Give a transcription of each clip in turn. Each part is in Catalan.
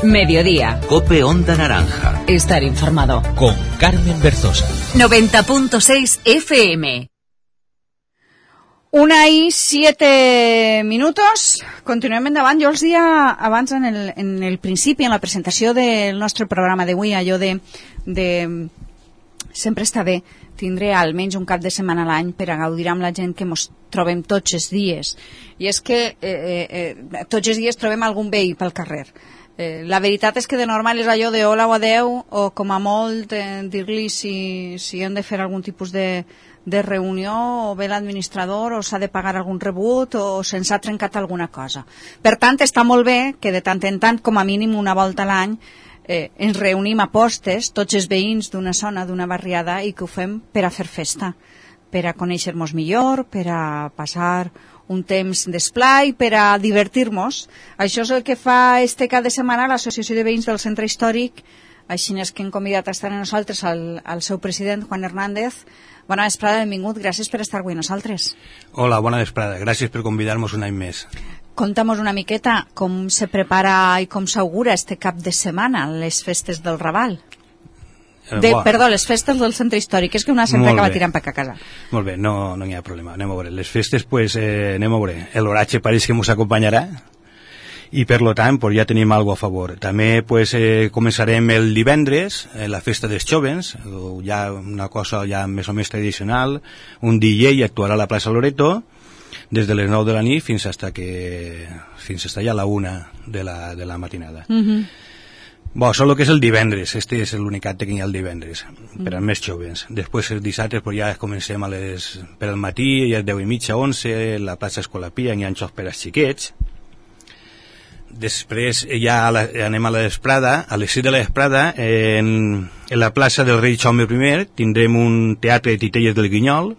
Mediodía. COPE Onda Naranja. Estar informado. Con Carmen Berzosa. 90.6 FM. 1:07. Continuem endavant. Jo els dia abans en el principi, en la presentació del nostre programa d'avui, allò de sempre està bé tindre almenys un cap de setmana a l'any per a gaudir amb la gent que ens trobem tots els dies. I és que tots els dies trobem algun veí pel carrer. La veritat és que de normal és allò de hola o adeu, o com a molt dir-li si hem de fer algun tipus de reunió, o ve l'administrador, o s'ha de pagar algun rebut, o se'ns ha trencat alguna cosa. Per tant, està molt bé que de tant en tant, com a mínim una volta a l'any, ens reunim a postes, tots els veïns d'una zona, d'una barriada, i que ho fem per a fer festa, per a conèixer-nos millor, per a passar un temps d'esplai, per a divertir-nos. Això és el que fa este cap de setmana l'Associació de Veïns del Centre Històric. Així és que hem convidat a estar amb nosaltres al seu president, Juan Hernández. Bona vesprada, benvingut, gràcies per estar avui amb nosaltres. Hola, bona vesprada, gràcies per convidar-nos un any més. Conta'm una miqueta com se prepara i com s'augura este cap de setmana, les festes del Raval. Perdó, les festes del Centre Històric, és que una sempre acaba tirant per a casa. Molt bé, no hi ha problema, anem a veure. Les festes, pues, anem a veure. L'oratge pareix que ens acompanyarà i per lo tant pues, ja tenim alguna a favor. També pues, començarem el divendres, la festa dels jovens, ja una cosa ja més o més tradicional, un DJ actuarà a la plaça Loreto des de les 9 de la nit fins hasta ja la 1 de la matinada. Bo, això és el que és el divendres, este és l'únic acte que hi ha el divendres, per als més jovens. Després els dissabtes pues, ja comencem per al matí, ja 10:30, 11, la plaça Escolapia, hi ha xocs per als xiquets. Després ja anem a la vesprada, a les 6 de la vesprada, en la plaça del rei Jaume I tindrem un teatre de titelles del Guinyol,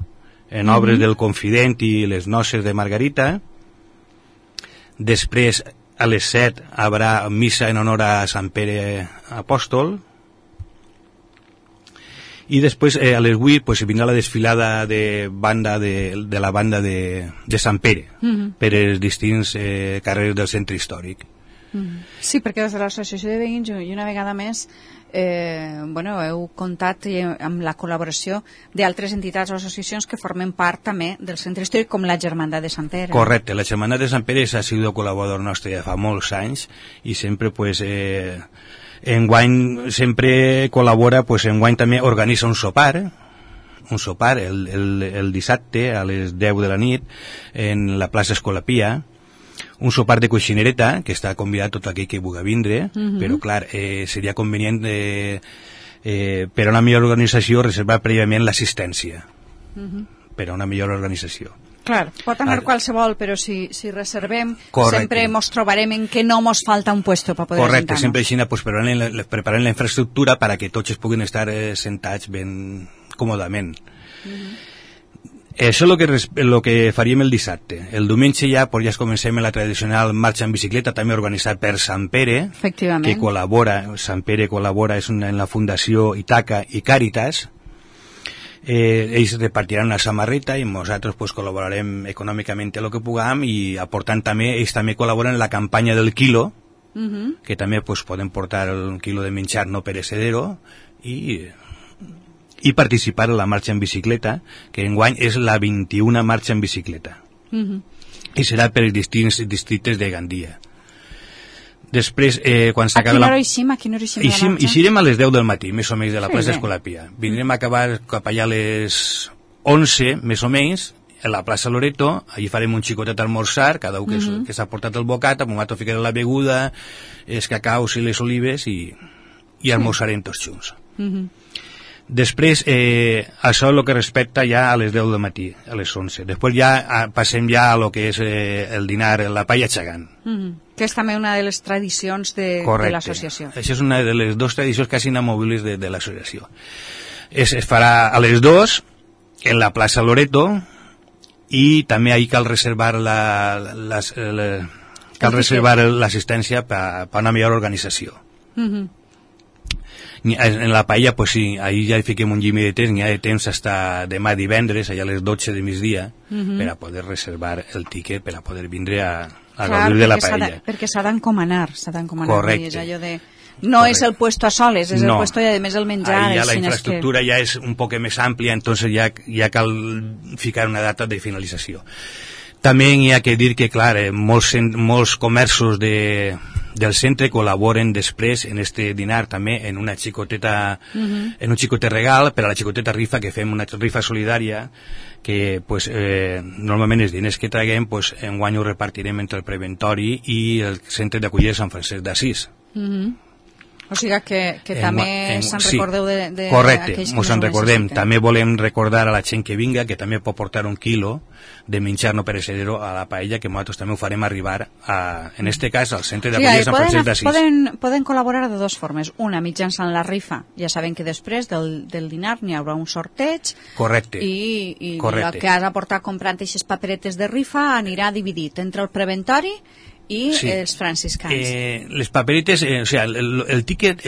en obres del Confident i les noces de Margarita. Després, a les 7, haurà missa en honor a Sant Pere Apòstol. I després, a les 8, pues, vindrà la desfilada de la banda de Sant Pere, per els distints carrers del centre històric. Sí, perquè des de l'Associació de Veïns, i una vegada més, heu comptat amb la col·laboració d'altres entitats o associacions que formen part també del centre històric, com la Germandat de Sant Pere. Correcte, la Germandat de Sant Pere ha sigut col·laborador nostre ja fa molts anys i sempre pues, enguany sempre col·labora, pues, enguany també organitza un sopar el dissabte a les 10 de la nit en la plaça Escolapia, un sopar de coixinereta, que està convidat tot aquell que vulgui vindre, però clar, seria convenient per a una millor organització reservar prèviament l'assistència, per a una millor organització. Clar, pot anar qualsevol, però si reservem, sempre ens trobarem en que no ens falta un puesto per poder sentar-nos. Correcte, sempre així pues, preparant la infraestructura perquè tots es puguin estar sentats ben còmodament. Això és el que faríem el dissabte. El diumenge ja comencem la tradicional marxa en bicicleta, també organitzat per Sant Pere, que col·labora, Sant Pere col·labora en la Fundació Itaca i Càritas. Ells repartiran una samarreta i nosaltres col·laborarem econòmicament el que puguem i aportant també, ells també col·laboren en la campanya del quilo, que també poden portar un quilo de menjar no perecedero i participar en la marxa en bicicleta, que enguany és la 21a marxa en bicicleta. I serà per els distints districtes de Gandia. Després, quan s'acaba la... A quina hora eixim? Eixirem a les 10 del matí, més o menys, de la plaça Escolapia. Vindrem a acabar cap allà a les 11, més o menys, a la plaça Loreto. Allí farem un xicotet almorzar, cada un que s'ha portat el bocat, amb un altre ficarà la beguda, els cacaus i les olives, i almorzarem tots junts. Després, això és el que respecta ja a les 10 del matí, a les 11. Després ja passem ja a lo que és el dinar, la paella xagant. Que és també una de les tradicions de l'associació. Això és una de les dues tradicions quasi inamovibles de l'associació. Es farà a les 2 en la plaça Loreto i també ahí cal reservar l'assistència per a una millor organització. En la paella, pues sí, ahí ja hi fiquem un llimi de temps, n'hi ha de temps fins demà divendres, allà a les 12 de migdia, per a poder reservar el tiquet, per a poder vindre a a gaudir de la paella. Perquè s'ha d'encomanar. Correcte. És allò de... No és el puesto a soles, és el puesto y además el menjar. Ahí ya la infraestructura ya es un poco más amplia, entonces ya cal ficar una data de finalització. També hi ha que dir que, clar, molts comerços del centre col·laboren després en este dinar també en una xicoteta, en un xicotet regal per a la xicoteta rifa, que fem una rifa solidària que pues, normalment els diners que traguem pues, enguany ho repartirem entre el preventori i el centre d'acollida Sant Francesc d'Assís. O sigui que també se'n recordeu de correcte, aquells que ens en recordem. També volem recordar a la gent que vinga que també pot portar 1 quilo de menjar no perecedero a la paella, que nosaltres també ho farem arribar en este cas al centre d'acollida Sant Francesc d'Assís. Poden col·laborar de dues formes. Una, mitjançant la rifa. Ja sabem que després del dinar n'hi haurà un sorteig. Correcte. I el que has aportat comprant aquestes paperetes de rifa anirà dividit entre el preventori i els franciscans. Les paperetes, o sea, el ticket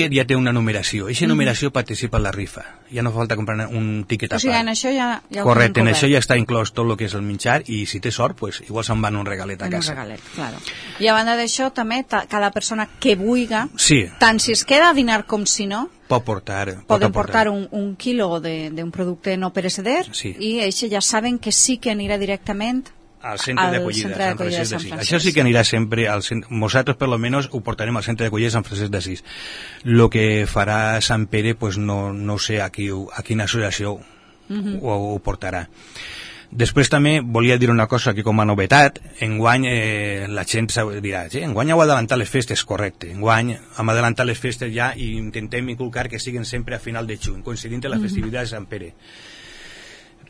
ja té una numeració. Eixa numeració participa en la rifa. Ja no fa falta comprar un ticket a part. O sigui, en això ja correcte, en això ja està inclòs tot el que és el menjar i si té sort, pues, igual se'n van un regalet a casa. Un regalet, claro. I a banda d'això, també, cada persona que vulga, sí, tant si es queda a dinar com si no, poden portar un quilo d'un producte no pereceder i eixe ja saben que sí que anirà directament al centre d'acollida Sant Francesc d'Assís. Això sí que anirà sempre al centre. Nosaltres, per lo menos, ho portarem al centre d'acollida Sant Francesc d'Assís. Lo que farà Sant Pere, pues no sé a quina associació ho portarà. Després també volia dir una cosa que com a novetat, enguany la gent dirà, enguany heu adelantat les festes, correcte, enguany hem adelantat les festes ja i intentem inculcar que siguin sempre a final de juny, coincidint amb la festivitat de Sant Pere.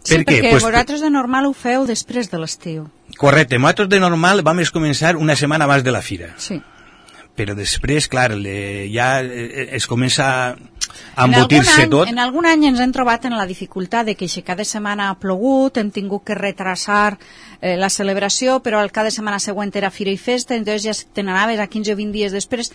Sí, perquè vosaltres de normal ho feu després de l'estiu. Correcte, nosaltres de normal vam començar una setmana abans de la fira. Sí. Però després, clar, ja es comença a embotir-se tot. En algun any ens hem trobat en la dificultat de que cada setmana ha plogut, hem tingut que retrasar la celebració, però el cada setmana següent era fira i festa, entonces ja te n'anaves a 15 o 20 dies després,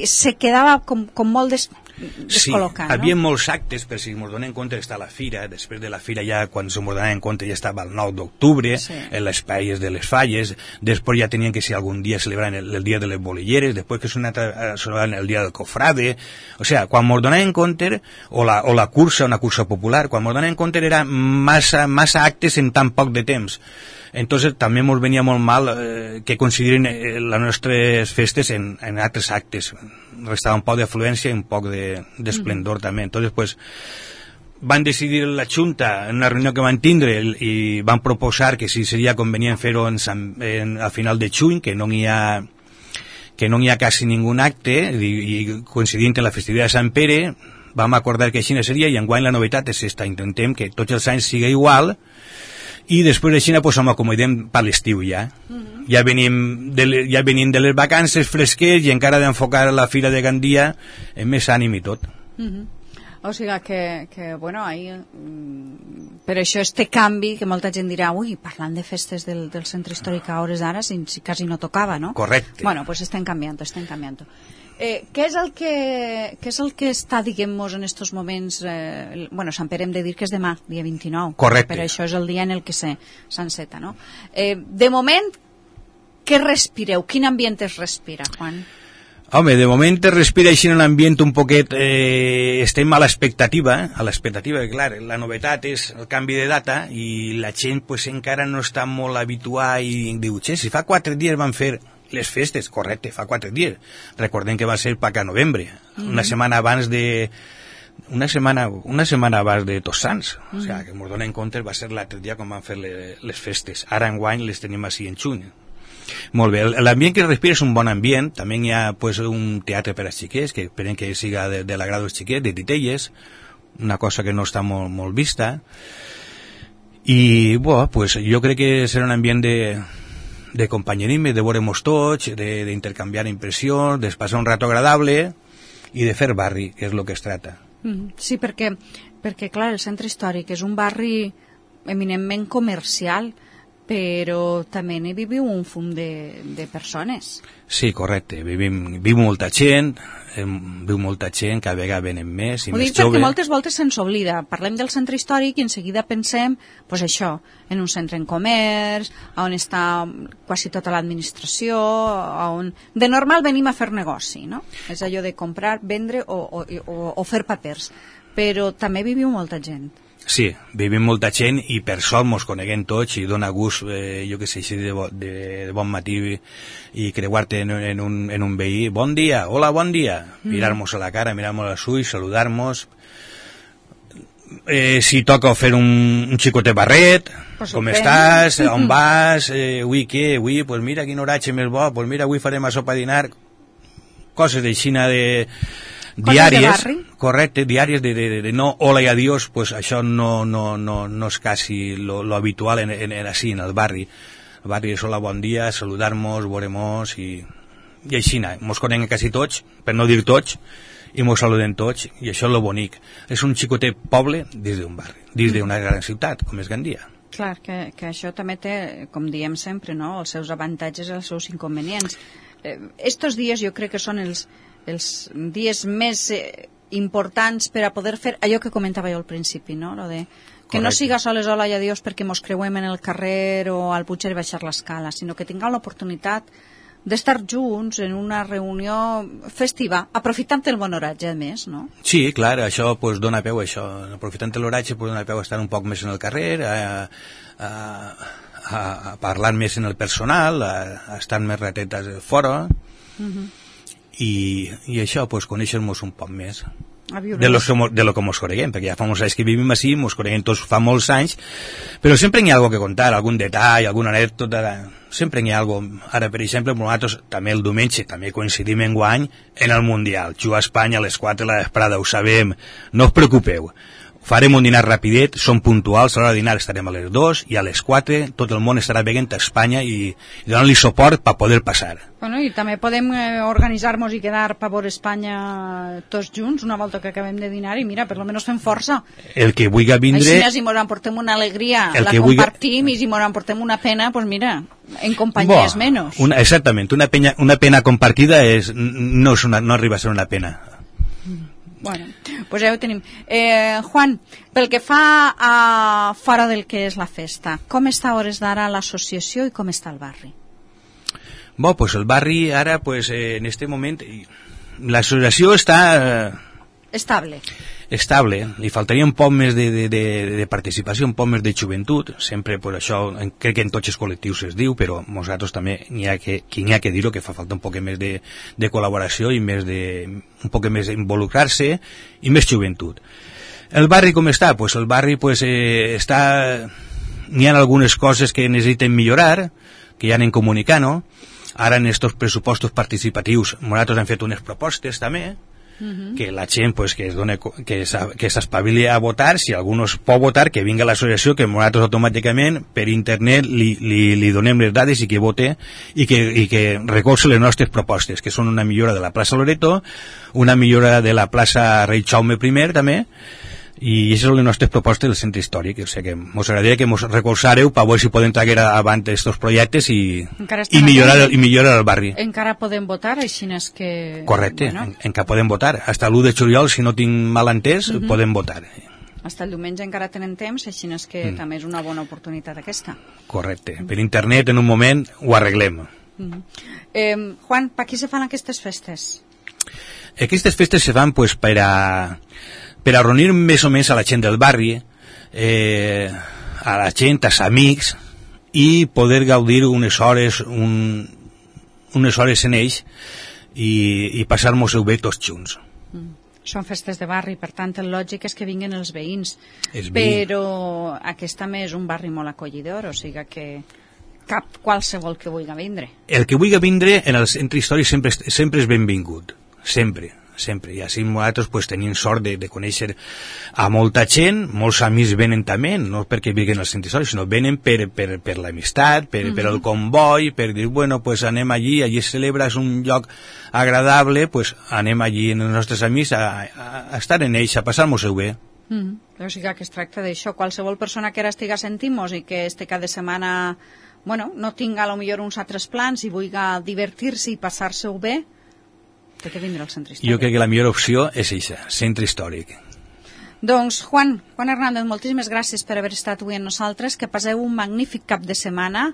se quedava com molt descol·locat. Sí, havia molts actes, per si ens donem compte està la fira, després de la fira ja, quan ens donem compte ja estava el 9 d'octubre, en les paies de les falles, després ja tenien que ser algun dia celebrant el dia de les bolilleres, després que celebrant el dia del cofrade, o sea, quan ens donem compte, o la cursa, una cursa popular, quan ens donem compte era massa actes en tan poc de temps. Entonces també ens venia molt mal que coincidiren les nostres festes en altres actes. Restava un poc d'afluència i un poc d'esplendor també. Entonces, pues, van decidir la Junta en una reunió que van tindre i van proposar que si seria convenient fer-ho a final de juny, que no hi ha quasi ningú acte, i coincidint en la festivitat de Sant Pere, vam acordar que així seria, i enguany la novetat és esta, intentem que tots els anys siga igual, i després de Xina pues ens acomodem per l'estiu ja. Ja venim de les vacances fresquets i encara d'enfocar la fira de Gandia amb més ànim i tot. O sigui que bueno, per això este canvi que molta gent dirà, ui, parlant de festes del centre històric a hores d'ara, si quasi no tocava, no? Correcte. Bueno, pues estem canviant. Què és el que està, diguem-nos, en estos moments... bueno, Sant Pere hem de dir que és demà, dia 29. Correcte. Però això és el dia en el que s'enceta, no? De moment, què respireu? Quin ambient es respira, Juan? Home, de moment es respira així en un ambient un poquet... estem a l'expectativa, clar, la novetat és el canvi de data i la gent pues, encara no està molt habituada i diu, si fa 4 dies van fer... les festes, correcte, fa 4 dies. Recordem que va ser per a novembre, una setmana abans de Tots Sants. O sigui, que ens donem compte, va ser l'altre dia quan van fer les festes. Ara enguany les tenim així en juny. Molt bé, l'ambient que respira és un bon ambient. També hi ha pues, un teatre per als xiquets, que esperem que siga de l'agrado dels xiquets, de titelles, una cosa que no està molt vista. I bueno, pues, jo crec que serà un ambient de companyerisme, de veure-nos tots, d'intercanviar impressions, de passar un rato agradable i de fer barri, que és el que es trata. Sí, perquè clar, el centre històric és un barri eminentment comercial, però també n'hi viviu un fum de persones. Sí, correcte. Viu molta gent, cada vegada venen més i Ho més dic perquè joves. moltes voltes se'ns oblida. Parlem del centre històric i en seguida pensem, pues això, en un centre en comerç, on està quasi tota l'administració, on de normal venim a fer negoci, no? És allò de comprar, vendre o fer papers. Però també viviu molta gent. Sí, vivim molta gent i per sort mos coneguem tots i dona gust, jo que sé, així de bon matí i creuar-te en un veí. Bon dia, hola, bon dia. Mirar-nos a la cara, mirar-nos als ulls, saludar-nos. Si toca fer un xicotet barret, com estàs, on vas, avui què, avui, pues mira quin horatge més bo, pues mira, avui farem a sopa dinar, coses d'aixina de diàries, correcte, diàries de no hola i adiós, pues això no és quasi lo habitual en el barri. El barri és hola, bon dia, saludar-nos, veure-nos i aixina. Mos coneguem quasi tots, per no dir tots, i mos saludem tots, i això és lo bonic. És un xicotet poble dins d'un barri, dins d'una gran ciutat, com és Gandia. Clar, que això també té, com diem sempre, no?, els seus avantatges i els seus inconvenients. Estos dies jo crec que són els dies més importants per a poder fer allò que comentava jo al principi, no? Lo de que correcte. No siga soles hola i adiós perquè mos creuem en el carrer o al Puigcer i baixar l'escala, sinó que tinguem l'oportunitat d'estar junts en una reunió festiva, aprofitant el bon horatge, a més, no? Sí, clar, això pues, dona peu a això. Aprofitant l'horatge pues, dona peu a estar un poc més en el carrer, a parlar més en el personal, a estar més ratetes fora, i això, pues, conèixer-nos un poc més de lo que mos coneguem, perquè ja fa molts anys que vivim així, mos coneguem tots fa molts anys, però sempre hi ha alguna que contar, algun detall, alguna anècdota, sempre hi ha alguna. Ara, per exemple, nosaltres també el diumenge també coincidim enguany en el Mundial, jugar a Espanya a les 4 de la vesprada, ho sabem, no us preocupeu. Farem un dinar rapidet, som puntuals, a l'hora de dinar estarem a les 2 i a les 4 tot el món estarà veient a Espanya i donant-li suport per poder passar. Bueno, i també podem organitzar-nos i quedar per veure Espanya tots junts una volta que acabem de dinar i mira, per lo menos fem força. El que vulgui vindre... Així, si ens emportem una alegria, la compartim, i si ens emportem una pena, doncs mira, en companyia és menys. Exactament, una pena compartida no arriba a ser una pena. Bueno, pues ja ho tenim. Juan, pel que fa a fora del que és la festa, com està a hores d'ara l'associació i com està el barri? Bo, pues el barri ara, pues, en este moment, l'associació està... Estable. Li faltaria un poc més de participació, un poc més de joventut. Sempre, pues, això, crec que en tots els col·lectius es diu, però nosaltres també n'hi ha que dir-ho, que fa falta un poc més de col·laboració i un poc més d'involucrar-se i més joventut. El barri com està? Pues el barri pues, està... N'hi ha algunes coses que necessiten millorar, que ja anem comunicant, no? Ara en estos pressupostos participatius nosaltres hem fet unes propostes també, que la gent pues, que s'espavili a votar, si algú no es pot votar, que vingui a l'associació, que nosaltres automàticament per internet li donem les dades i que vote i que recolze les nostres propostes, que són una millora de la plaça Loreto, una millora de la plaça Rei Jaume I també, i aquestes són les nostres propostes del centre històric. O sigui que mos agradaria que mos recolzareu per veure si podem traguer avant aquests projectes i millorar el barri. Encara podem votar, així és que... Correcte, bueno. Encara podem votar. Hasta l'1 de juliol, si no tinc mal entès, podem votar. Hasta el diumenge encara tenen temps, així és que també és una bona oportunitat aquesta. Correcte. Per internet, en un moment, ho arreglem. Juan, per qui se fan aquestes festes? Aquestes festes se fan pues, per a reunir més o menys a la gent del barri, a la gent, als amics, i poder gaudir unes hores en ells i passar-nos-ho bé tots junts. Són festes de barri, per tant el lògic és que vinguin els veïns, però aquest també és un barri molt acollidor, o sigui que cap qualsevol que vulgui vindre. El que vulgui vindre en el centre històric sempre és benvingut, sempre. I així nosaltres pues, tenim sort de conèixer a molta gent, molts amics venen també, no perquè vinguen al centre històric, sinó venen per l'amistat, per el comboi, per dir, bueno, pues anem allí es celebra, és un lloc agradable, pues anem allí amb els nostres amics a estar en ells, a passar-nos-ho bé. O sigui que es tracta d'això. Qualsevol persona que ara estiga sentint-nos i que este cap de setmana no tinga a lo millor uns altres plans i vulgui divertir-se i passar-se-ho bé, té que vindre al centre històric. Jo crec que la millor opció és això, centre històric. Doncs, Juan Hernández, moltíssimes gràcies per haver estat avui amb nosaltres. Que passeu un magnífic cap de setmana.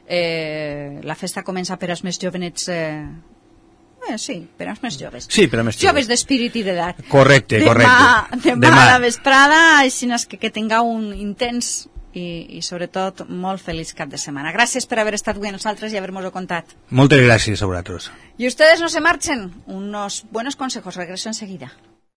La festa comença per als més jovenets... sí, per als més joves. Sí, per als més joves. Joves d'espírit i d'edat. Correcte. Demà a la vesprada, així que tingueu un intens i sobretot molt feliç cap de setmana. Gràcies per haver estat avui amb nosaltres i haver-nos-ho contat. Moltes gràcies a vosaltres. Y ustedes no se marchen. Unos buenos consejos. Regreso enseguida.